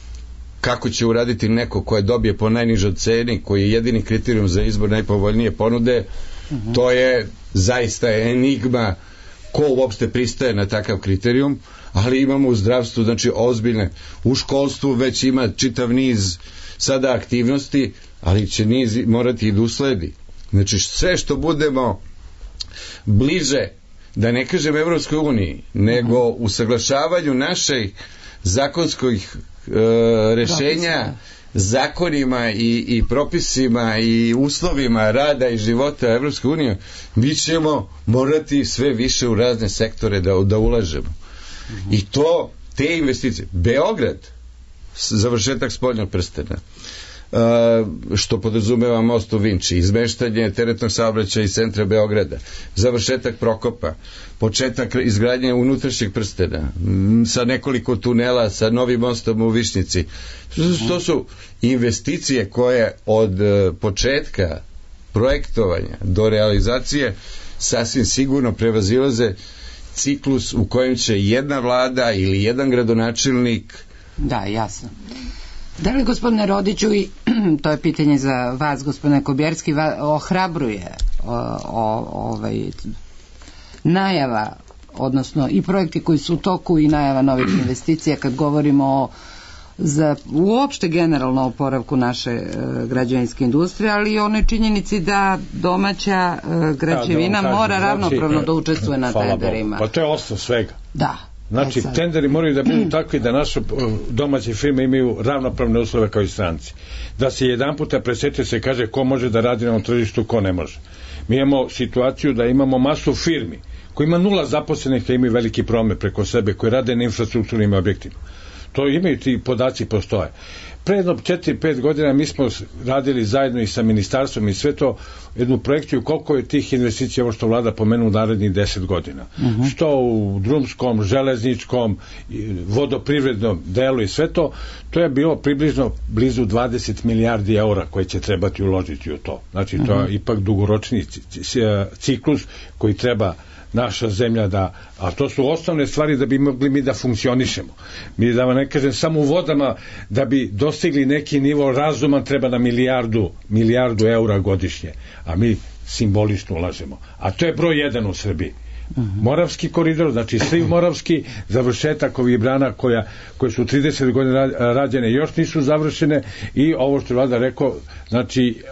Kako će uraditi neko koje dobije po najnižoj ceni, koji je jedini kriterijum za izbor najpovoljnije ponude, to je zaista enigma ko uopšte pristaje na takav kriterijum, ali imamo u zdravstvu, znači ozbiljne, u školstvu već ima čitav niz sada aktivnosti, ali će niz morati i da usledi. Znači sve što budemo bliže, da ne kažem Evropskoj uniji, nego usaglašavanju naših zakonskih rešenja, zakonima i propisima i uslovima rada i života Evropske unije, mi ćemo morati sve više u razne sektore da ulažemo. I to, te investicije, Beograd, završetak spoljnog prstena, što podrazumeva most u Vinči, izmeštanje teretnog saobraćaja iz centra Beograda, završetak Prokopa, početak izgradnje unutrašnjeg prstena sa nekoliko tunela, sa novim mostom u Višnjici. To su investicije koje od početka projektovanja do realizacije sasvim sigurno prevazilaze ciklus u kojem će jedna vlada ili jedan gradonačelnik. Da, jasno. Da li, gospodine Rodiću, i to je pitanje za vas, gospodine Kobjerski, ohrabruje najava, odnosno i projekti koji su u toku i najava novih investicija, kad govorimo za uopšte generalno oporavku naše građevinske industrije, ali i onoj činjenici da domaća građevina mora ravnopravno da učestvuje na tenderima. Pa to je osnov svega. Da. Znači, tenderi moraju da budu takvi da naše domaće firme imaju ravnopravne uslove kao i stranci. Da se jedan puta presete se kaže ko može da radi na ovom tržištu, ko ne može. Mi imamo situaciju da imamo masu firmi koji ima 0 zaposlenih, a imaju veliki promet preko sebe, koji rade na infrastrukturnim objektima. To imaju, ti podaci postoje. Pre jedno 4-5 godina mi smo radili zajedno i sa ministarstvom i sve to jednu projekciju koliko je tih investicija, ovo što vlada pomenu, u narednih 10 godina. Što u drumskom, železničkom, vodoprivrednom delu i sve to, to je bilo približno blizu 20 milijardi eura koje će trebati uložiti u to. Znači, to je ipak dugoročni ciklus koji treba naša zemlja da, a to su osnovne stvari da bi mogli mi da funkcionišemo. Mi, da vam ne kažem, samo u vodama da bi dostigli neki nivo razuman treba na milijardu eura godišnje, a mi simbolično ulažemo. A to je broj 1 u Srbiji. Moravski koridor, znači sliv Moravski, završetak ovih brana koje su 30 godina rađene, još nisu završene, i ovo što je vlada rekao, znači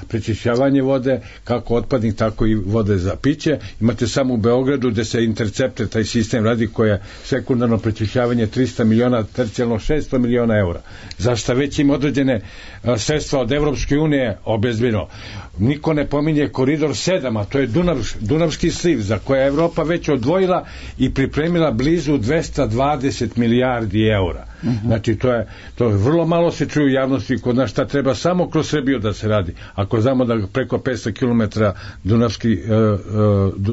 prečišćavanje vode, kako otpadnih, tako i vode za piće. Imate samo u Beogradu gde se intercepte, taj sistem radi, koje sekundarno prečišćavanje 300 miliona, tercijalno 600 miliona eura. Zašto već im određene sredstva od Evropske unije obezbedno. Niko ne pominje koridor 7, a to je Dunavski sliv, za koje je Evropa već odvojila i pripremila blizu 220 milijardi eura. Znači, to je vrlo malo se čuje u javnosti kod nas, šta treba samo kroz Srbiju da se radi. Ako znamo da preko 500 km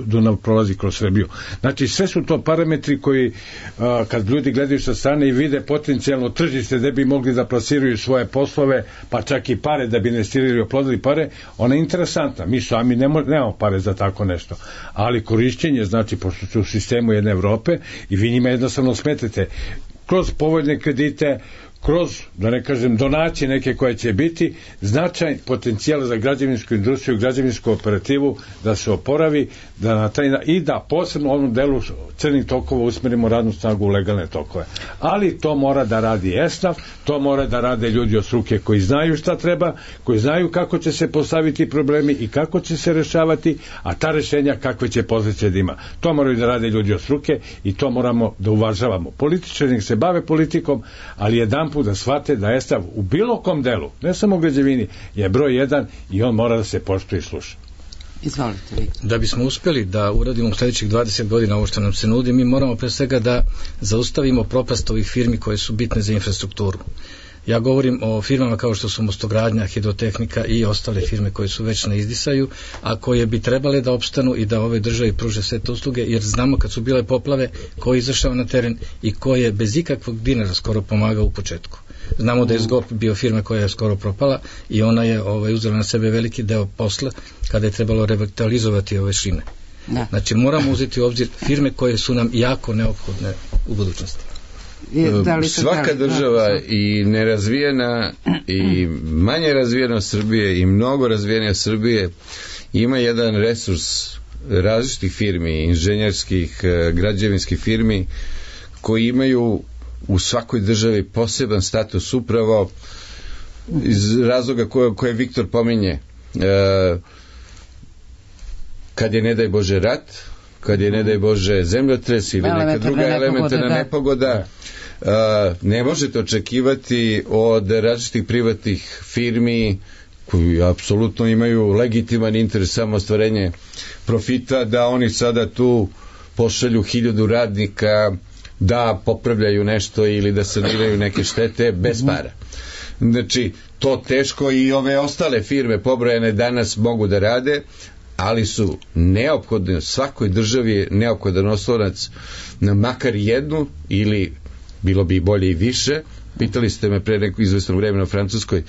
Dunav prolazi kroz Srbiju. Znači, sve su to parametri koji, kad ljudi gledaju sa strane i vide potencijalno tržište gde bi mogli da plasiraju svoje poslove, pa čak i pare da bi investirali i oplodili pare, ona je interesantna. Mi sami nemamo pare za tako nešto. Ali korišćenje, znači, pošto su u sistemu jedne Evrope i vi njima jednostavno smetete kroz povoljne kredite, kroz, da ne kažem, donacije neke koje će biti, značajan potencijal za građevinsku industriju, građevinsku operativu da se oporavi, i da posebno u ovom delu crnih tokova usmerimo radnu snagu u legalne tokove. Ali to mora da radi ESNAF, to mora da rade ljudi od struke koji znaju šta treba, koji znaju kako će se postaviti problemi i kako će se rešavati, a ta rešenja kakve će posljedice da ima. To moraju da rade ljudi od struke i to moramo da uvažavamo. Političari nek se bave politikom, ali jedan put da shvate da ESNAF u bilo kom delu, ne samo u građevini, je broj 1 i on mora da se poštuje i sluša. Izvolite vi. Da bismo uspjeli da uradimo u sljedećih 20 godina ovo što nam se nudi, mi moramo pre svega da zaustavimo propast ovih firmi koje su bitne za infrastrukturu. Ja govorim o firmama kao što su Mostogradnja, Hidrotehnika i ostale firme koje su već na izdisaju, a koje bi trebale da opstanu i da ove državi pruže sve te usluge, jer znamo kad su bile poplave ko je izašao na teren i ko je bez ikakvog dinara skoro pomagao u početku. Znamo da je Zgop bio firma koja je skoro propala i ona je uzela na sebe veliki deo posla kada je trebalo revitalizovati ove šine. Da. Znači moramo uzeti u obzir firme koje su nam jako neophodne u budućnosti. Svaka država, i nerazvijena i manje razvijena od Srbije i mnogo razvijenija Srbije, ima jedan resurs različitih firmi, inženjerskih, građevinskih firmi, koji imaju u svakoj državi poseban status, upravo iz razloga koje Viktor pominje. Kad je, ne daj Bože, rat, kad je, ne daj Bože, zemljotres ili neka druga elementarna nepogoda, ne možete očekivati od različitih privatnih firmi koji apsolutno imaju legitiman interes, samo ostvarenje profita, da oni sada tu pošalju 1000 radnika da popravljaju nešto ili da saniraju neke štete bez para. Znači, to teško i ove ostale firme pobrojene danas mogu da rade, ali su neophodne, svakoj državi je neophodan oslonac na makar jednu, ili bilo bi bolje i više. Pitali ste me pre neko izvesno vremena o Francuskoj.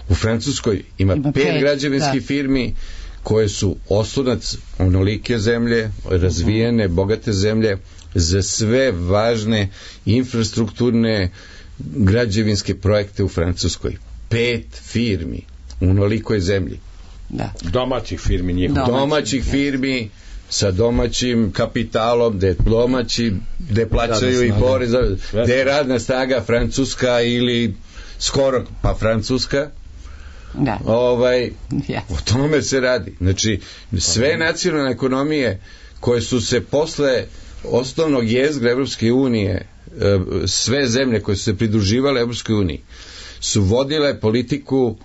U Francuskoj ima 5 građevinskih firmi koje su oslonac onolike zemlje, razvijene, bogate zemlje, za sve važne infrastrukturne građevinske projekte u Francuskoj. 5 firmi u onolikoj zemlji. Da. Domaćih firmi njihovih. Domaćih firmi sa domaćim kapitalom, gde plaćaju i porez, gde je radna snaga francuska ili skoro pa francuska. Da. O tome se radi. Znači, sve nacionalne ekonomije koje su se posle osnovnog jezgra Evropske unije, sve zemlje koje su se pridruživale Evropskoj uniji, su vodile politiku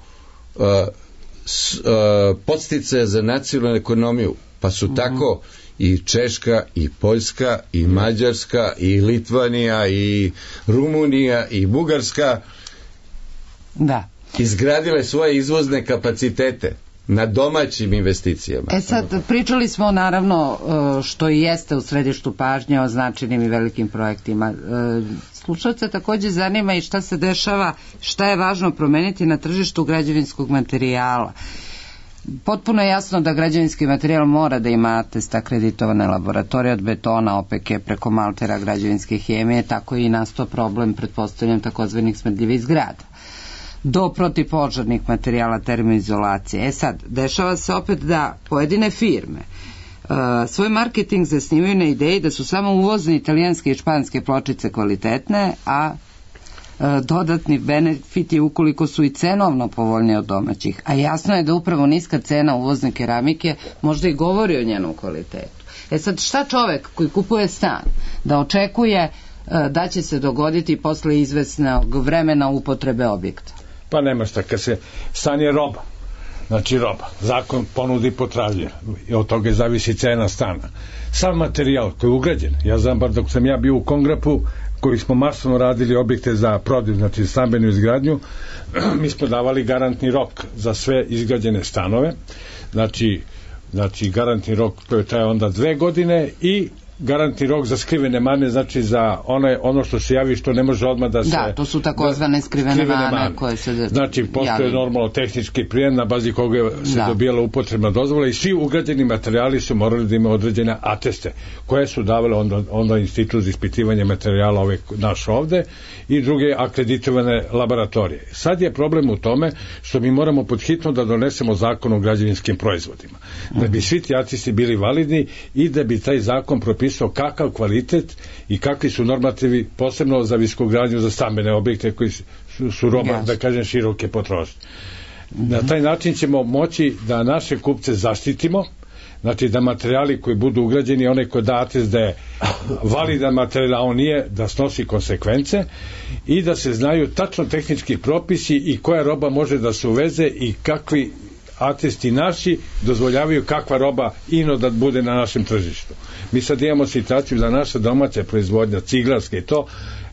podsticaja za nacionalnu ekonomiju, pa su tako i Češka, i Poljska, i Mađarska, i Litvanija, i Rumunija, i Bugarska izgradile svoje izvozne kapacitete na domaćim investicijama. Sad, pričali smo naravno što i jeste u središtu pažnje o značajnim i velikim projektima. Slušalce takođe zanima i šta se dešava, šta je važno promeniti na tržištu građevinskog materijala. Potpuno je jasno da građevinski materijal mora da ima atest akreditovane laboratorije od betona, OPK preko maltera građevinske hemije, tako i nastao problem, pretpostavljam, takozvanih smrdljivih zgrada, do protivpožarnih materijala termoizolacije. Sad, dešava se opet da pojedine firme svoj marketing zasnivaju na ideji da su samo uvozne italijanske i španske pločice kvalitetne, a dodatni benefiti ukoliko su i cenovno povoljnije od domaćih. A jasno je da upravo niska cena uvozne keramike možda i govori o njenom kvalitetu. Sad, šta čovek koji kupuje stan da očekuje da će se dogoditi posle izvesnog vremena upotrebe objekta? Pa nema šta, kad se stan je roba, znači roba, zakon ponudi i potražnje i od toga zavisi cena stana. Sam materijal koji je ugrađen, ja znam bar dok sam ja bio u Kongrapu, koji smo masovno radili objekte za prodaju, znači stambenu izgradnju, mi smo davali garantni rok za sve izgrađene stanove, znači garantni rok koji traje onda 2 godine i garantni rok za skrivene mane, znači za ono što se javi što ne može odmah da se... Da, to su takozvane skrivene mane koje se znači postoje normalno tehnički prijem na bazi koga se dobijala upotrebna dozvola i svi ugrađeni materijali su morali da imaju određene ateste koje su davale onda institut za ispitivanje materijala naš ovde i druge akreditovane laboratorije. Sad je problem u tome što mi moramo podhitno da donesemo zakon o građevinskim proizvodima, da bi svi ti atesti bili validni i da bi taj zakon propisao kakav kvalitet i kakvi su normativi posebno za viskogradnju za stambene objekte koji su roba, da kažem, široke potrošnje. Na taj način ćemo moći da naše kupce zaštitimo, znači da materijali koji budu ugrađeni, onaj koji da atest da je validan materijal, a on nije, da snosi konsekvence i da se znaju tačno tehnički propisi i koja roba može da se uveze i kakvi atesti naši dozvoljavaju kakva roba da bude na našem tržištu. Mi sad imamo situaciju da naša domaća proizvodnja, ciglarska i to,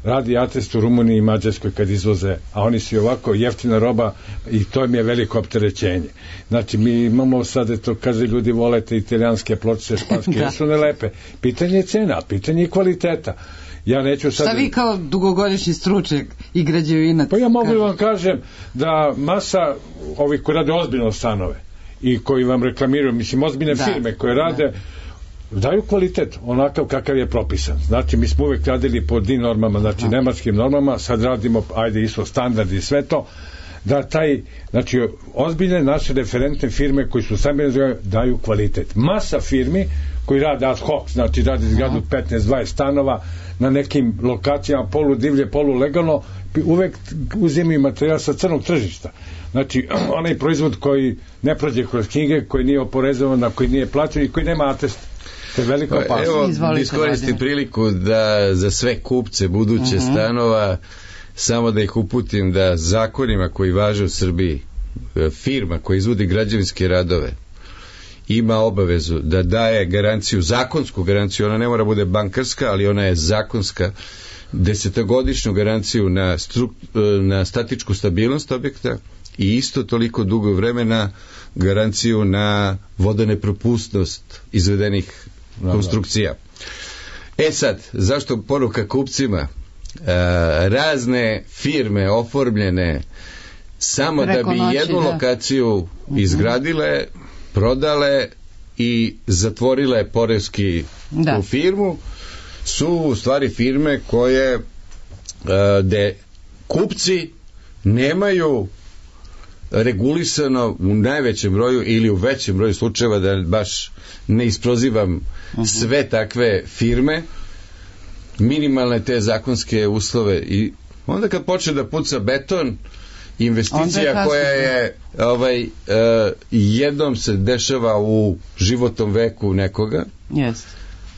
radi atest u Rumuniji i Mađarskoj kad izvoze, a oni su ovako jeftina roba i to im je veliko opterećenje. Znači mi imamo sad, to kaže ljudi volete italijanske pločice, španske, jer su nelepe. Pitanje je cena, pitanje je kvaliteta. Ja neću sad... Šta vi kao dugogodišnji stručnjak i građevinac? Pa ja mogu vam kažem da masa ovih koji rade ozbiljno stanove i koji vam reklamiraju, mislim ozbiljne firme koje rade daju kvalitet onakav kakav je propisan. Znači mi smo uvek radili po DIN normama, znači nemačkim normama, sad radimo ISO standard i sve to, da znači ozbiljne naše referentne firme koji su sami daju kvalitet. Masa firmi koji rade ad hoc, znači rade izgradu 15-20 stanova na nekim lokacijama polu divlje, polu legalno, uvek uzimaju materijal sa crnog tržišta. Znači, onaj proizvod koji ne prođe kroz knjige, koji nije oporezovan, koji nije plaćen i koji nema atest. To je veliko opasnost. Evo, iskoristim priliku da za sve kupce buduće stanova samo da ih uputim da zakonima koji važe u Srbiji, firma koja izvodi građevinske radove ima obavezu da daje garanciju, zakonsku garanciju, ona ne mora bude bankarska, ali ona je zakonska, 10-godišnju garanciju na statičku stabilnost objekta i isto toliko dugo vremena garanciju na vodanepropusnost izvedenih konstrukcija. Sad, zašto poruka kupcima? Razne firme oformljene samo da bi jednu lokaciju izgradile, prodale i zatvorile poreski u firmu, su u stvari firme koje gde kupci nemaju regulisano u najvećem broju ili u većem broju slučajeva, da baš ne isprozivam sve takve firme, minimalne te zakonske uslove, i onda kad počne da puca beton, investicija koja je jednom se dešava u životnom veku nekoga,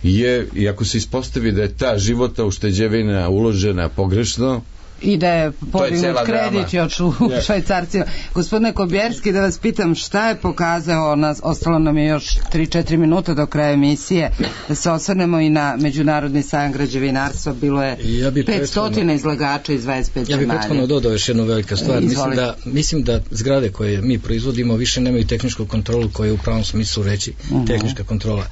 je, i ako se ispostavi da je ta životna ušteđevina uložena pogrešno, i da je podignut kredit još u švajcarcima. Gospodine Kobjerski, da vas pitam šta je pokazao, ostalo nam je još 3-4 minuta do kraja emisije, da se osvrnemo i na Međunarodni sajam građevinarstva, bilo je 500 izlagača iz 25 zemalja. Ja bih prethodno dodao još jednu veliku stvar. Mislim da zgrade koje mi proizvodimo više nemaju tehničku kontrolu koja je u pravom smislu reći tehnička kontrola.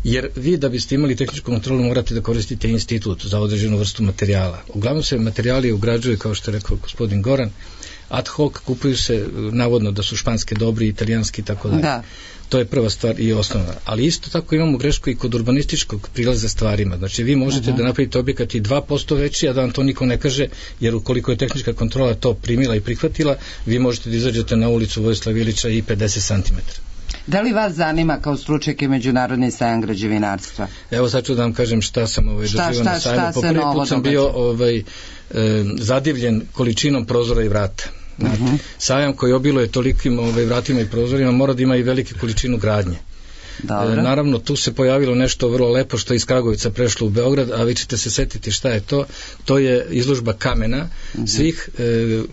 Jer vi da biste imali tehničku kontrolu morate da koristite institut za određenu vrstu materijala. Uglavnom se materijali ugrađuju, kao što je rekao gospodin Goran, ad hoc, kupuju se navodno da su španske dobri, italijanski i tako dalje. To je prva stvar i osnovna. Ali isto tako imamo grešku i kod urbanističkog prilaza stvarima. Znači vi možete da napravite objekat i 2% veći, a da vam to niko ne kaže, jer ukoliko je tehnička kontrola to primila i prihvatila, vi možete da izađete na ulicu Vojislava Ilića i 50 cm. Da li vas zanima kao stručnjake Međunarodni sajam građevinarstva? Evo sad ću da vam kažem šta sam doživio na sajmu. Po prvi put sam bio zadivljen količinom prozora i vrata. Sajam koji obiluje tolikim vratima i prozorima mora da ima i velike količinu gradnje. Naravno, tu se pojavilo nešto vrlo lepo što je iz Kragujevca prešlo u Beograd, a vi ćete se setiti šta je to. To je izložba kamena svih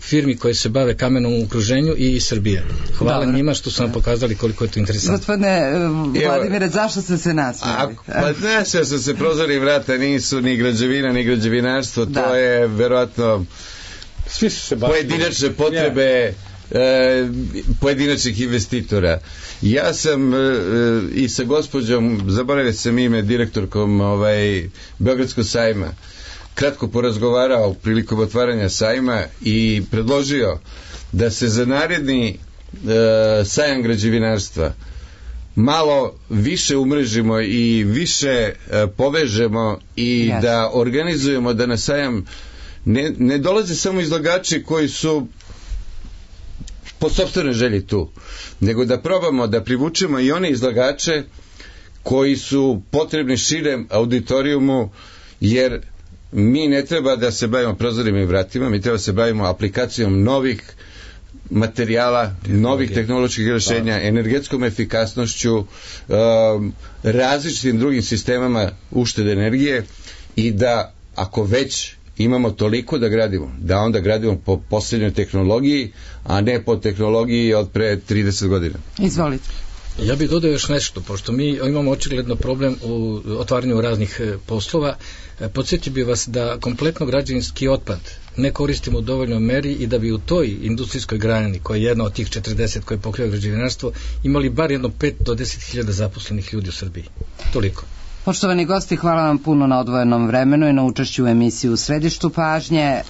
firmi koje se bave kamenom u okruženju i iz Srbije. Hvala njima što su nam pokazali koliko je to interesantno. Gospodine Vladimire, zašto ste se nasmijali? Nasmijao sam se, prozori i vrata nisu ni građevina, ni građevinarstvo, to je verovatno pojedinačne potrebe pojedinačnih investitora. Ja sam i sa gospođom, zaboravio sam ime, direktorkom Beogradskog sajma, kratko porazgovarao prilikom otvaranja sajma i predložio da se za naredni sajam građevinarstva malo više umrežimo i više povežemo i da organizujemo da na sajam ne dolaze samo izlagači koji su po sopstvenoj želji tu, nego da probamo da privučemo i one izlagače koji su potrebni širem auditorijumu, jer mi ne treba da se bavimo prozorima i vratima, mi treba da se bavimo aplikacijom novih materijala, novih tehnoloških rješenja, energetskom efikasnošću, različitim drugim sistemama uštede energije i da ako već imamo toliko da gradimo, da onda gradimo po posljednjoj tehnologiji, a ne po tehnologiji od pre 30 godina. Izvolite. Ja bih dodao još nešto, pošto mi imamo očigledno problem u otvaranju raznih poslova. Podsjetio bih vas da kompletno građevinski otpad ne koristimo u dovoljnoj meri i da bi u toj industrijskoj grani, koja je jedna od tih 40 koje pokriva građevinarstvo, imali bar jedno 5 do 10.000 zaposlenih ljudi u Srbiji. Toliko. Poštovani gosti, hvala vam puno na odvojenom vremenu i na učešću u emisiji U središtu pažnje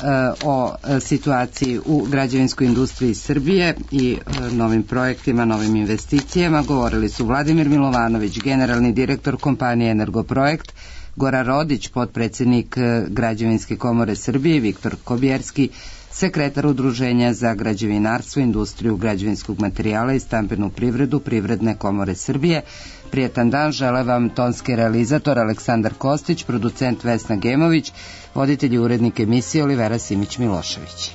o situaciji u građevinskoj industriji Srbije i novim projektima, novim investicijama. Govorili su Vladimir Milovanović, generalni direktor kompanije Energoprojekt, Goran Rodić, potpredsjednik Građevinske komore Srbije, Viktor Kobjerski, sekretar Udruženja za građevinarstvo, industriju građevinskog materijala i stambenu privredu Privredne komore Srbije. Prijetan dan, žele vam tonski realizator Aleksandar Kostić, producent Vesna Gemović, voditelj i urednik emisije Olivera Simić-Milošević.